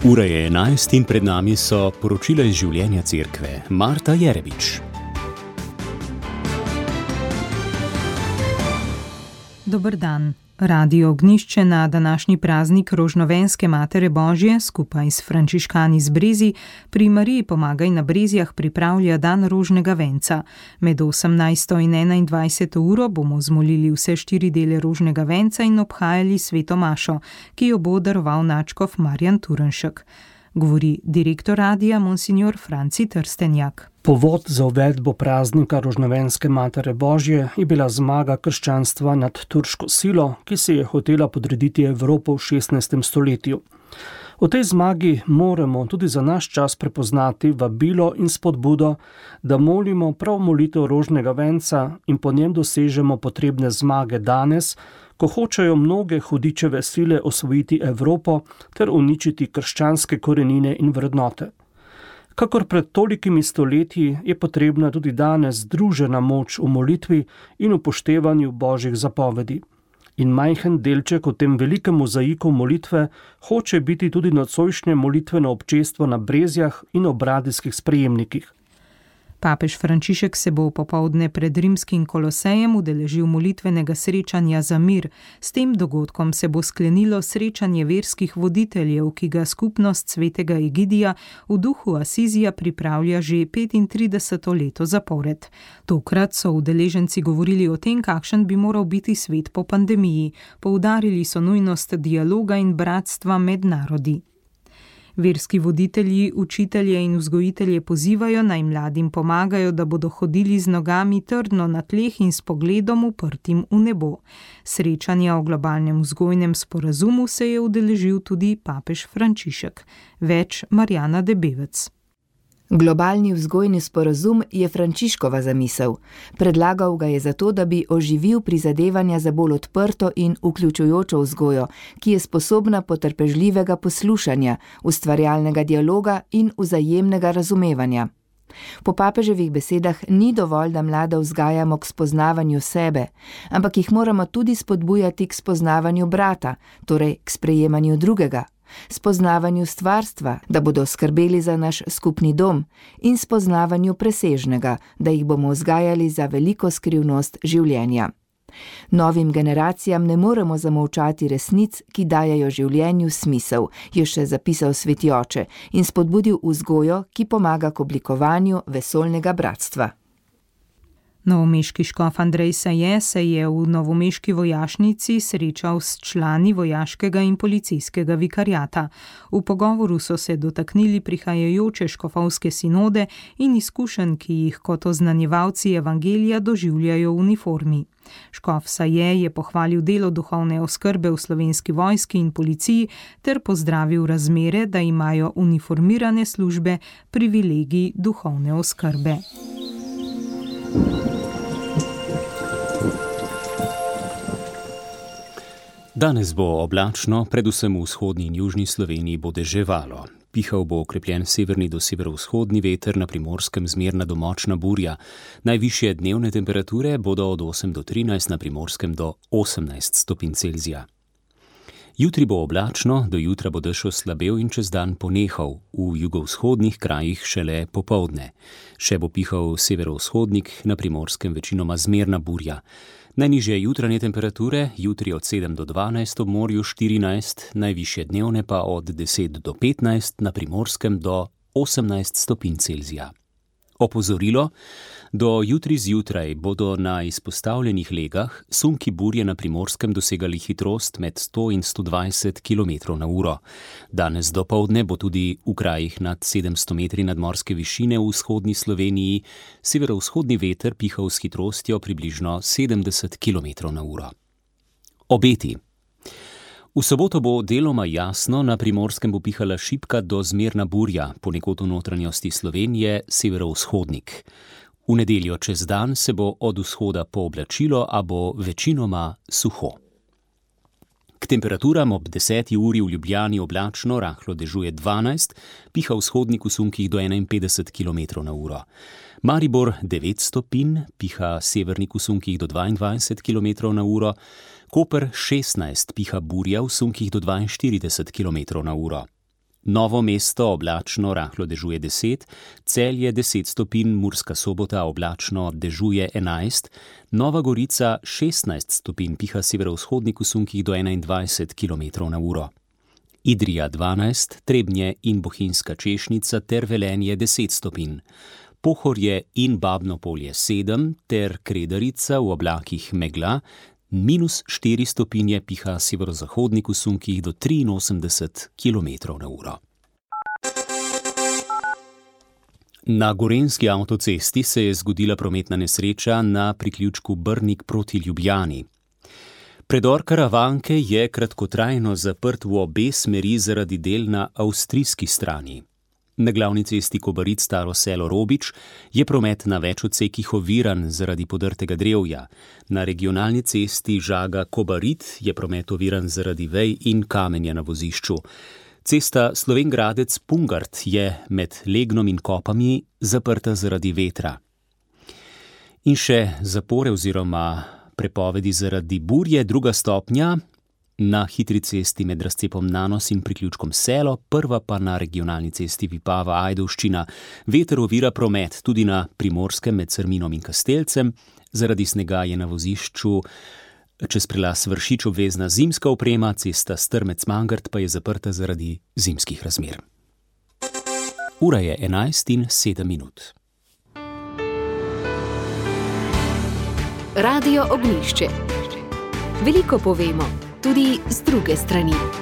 Ura je 11 in pred nami so poročila iz življenja cerkve. Marta Jerebič. Dober dan. Radio Ognjišče na današnji praznik Rožnovenske Matere Božje skupaj s frančiškani z Brezij pri Mariji Pomagaj na Brezjah pripravlja dan rožnega venca. Med 18. in 21. uro bomo zmolili vse 4 dele rožnega venca in obhajali sveto mašo, ki jo bo daroval nadškof Marjan Turnšek. Govori direktor radia monsignor Franci Trstenjak. Povod za uvedbo praznika Rožnovenske Matere Božje je bila zmaga krščanstva nad turško silo, ki se je hotela podrediti Evropo v 16. stoletju. V tej zmagi moramo tudi za naš čas prepoznati vabilo in spodbudo, da molimo prav molitev rožnega venca in po njem dosežemo potrebne zmage danes, ko hočejo mnoge hudičeve sile osvojiti Evropo ter uničiti krščanske korenine in vrednote. Kakor pred tolikimi stoletji je potrebna tudi danes združena moč v molitvi in upoštevanju Božjih zapovedi. In majhen delček v tem velikem mozaiku molitve hoče biti tudi nocojšnje molitveno občestvo na Brezjah in ob radijskih sprejemnikih. Papež Frančišek se bo popoldne pred rimskim Kolosejem udeležil molitvenega srečanja za mir. S tem dogodkom se bo sklenilo srečanje verskih voditeljev, ki ga skupnost svetega Egidija v duhu Asizija pripravlja že 35. leto zapored. Tokrat so udeleženci govorili o tem, kakšen bi moral biti svet po pandemiji. Poudarili so nujnost dialoga in bratstva med narodi. Verski voditelji, učitelje in vzgojitelje pozivajo, naj mladim pomagajo, da bodo hodili z nogami trdno na tleh in s pogledom uprtim v nebo. Srečanja o globalnem vzgojnem sporazumu se je udeležil tudi papež Frančišek. Več Marjana Debevec. Globalni vzgojni sporazum je Frančiškova zamisel. Predlagal ga je zato, da bi oživil prizadevanja za bolj odprto in vključujočo vzgojo, ki je sposobna potrpežljivega poslušanja, ustvarjalnega dialoga in vzajemnega razumevanja. Po papeževih besedah ni dovolj, da mlade vzgajamo k spoznavanju sebe, ampak jih moramo tudi spodbujati k spoznavanju brata, torej k sprejemanju drugega, spoznavanju stvarstva, da bodo skrbeli za naš skupni dom, in spoznavanju presežnega, da jih bomo vzgajali za veliko skrivnost življenja. Novim generacijam ne moremo zamolčati resnic, ki dajajo življenju smisel, je še zapisal sveti oče in spodbudil vzgojo, ki pomaga k oblikovanju vesoljnega bratstva. Novomeški škof Andrej Saje se je v novomeški vojašnici srečal s člani vojaškega in policijskega vikariata. V pogovoru so se dotaknili prihajajoče škofovske sinode in izkušenj, ki jih kot oznanjevalci evangelija doživljajo v uniformi. Škof Saje je pohvalil delo duhovne oskrbe v Slovenski vojski in policiji ter pozdravil razmere, da imajo uniformirane službe privilegij duhovne oskrbe. Danes bo oblačno, predvsem v vzhodni in južni Sloveniji bo deževalo. Pihal bo okrepljen severni do severovzhodni veter, na Primorskem zmerna do močna burja. Najvišje dnevne temperature bodo od 8 do 13, na Primorskem do 18 stopinj Celzija. Jutri bo oblačno, do jutra bo dež oslabel in čez dan ponehal, v jugovzhodnih krajih šele popoldne. Še bo pihal severovzhodnik, na Primorskem večinoma zmerna burja. Najnižje jutranje temperature, jutri od 7 do 12, ob morju 14, najvišje dnevne pa od 10 do 15, na Primorskem do 18 stopinj Celzija. Opozorilo: do jutri zjutraj bodo na izpostavljenih legah sunki burje na Primorskem dosegali hitrost med 100 in 120 km/h. Danes dopoldne bo tudi v krajih nad 700 metri nadmorske višine v vzhodni Sloveniji severovzhodni veter pihal s hitrostjo približno 70 km/h. Obeti. V soboto bo deloma jasno, na Primorskem bo pihala šibka do zmerna burja, ponekod v notranjosti Slovenije severovzhodnik. V nedeljo čez dan se bo od vzhoda pooblačilo, a bo večinoma suho. K temperaturam ob 10. uri v Ljubljani oblačno, rahlo dežuje 12, piha vzhodnik v sunkih do 51 km/h. Maribor 9 stopinj, piha severnik v sunkih do 22 km/h, Koper 16, piha burja v sunkih do 42 km/h. Novo Mesto oblačno, rahlo dežuje 10, Celje 10 stopinj, Murska Sobota oblačno, dežuje 11, Nova Gorica 16 stopinj, piha severovzhodnik v sunkih do 21 km/h. Idrija 12, Trebnje in Bohinjska Češnica ter Velenje 10 stopinj. Pohorje in Babno Polje 7 ter Kredarica v oblakih megla, -4 stopinje, piha severozahodnik v sunkih do 83 km/h. Na gorenjski avtocesti se je zgodila prometna nesreča na priključku Brnik proti Ljubljani. Predor Karavanke je kratkotrajno zaprt v obe smeri zaradi del na avstrijski strani. Na glavni cesti Kobarid-Staro Selo-Robič je promet na več odsekih oviran zaradi podrtega drevja. Na regionalni cesti Žaga-Kobarid je promet oviran zaradi vej in kamenja na vozišču. Cesta Slovenj Gradec-Pungart je med Legnom in Kopami zaprta zaradi vetra. In še zapore oziroma prepovedi zaradi burje, 2. stopnja na hitri cesti med razcepom Nanos in priključkom Selo, 1. pa na regionalni cesti Vipava-Ajdovščina. Veter ovira promet tudi na Primorskem med Crminom in Kastelcem. Zaradi snega je na vozišču čez prelaz Vršič obvezna zimska oprema, cesta Strmec-Mangart pa je zaprta zaradi zimskih razmer. Ura je 11:07. Radio Ognjišče. Veliko povemo, tudi z druge strani.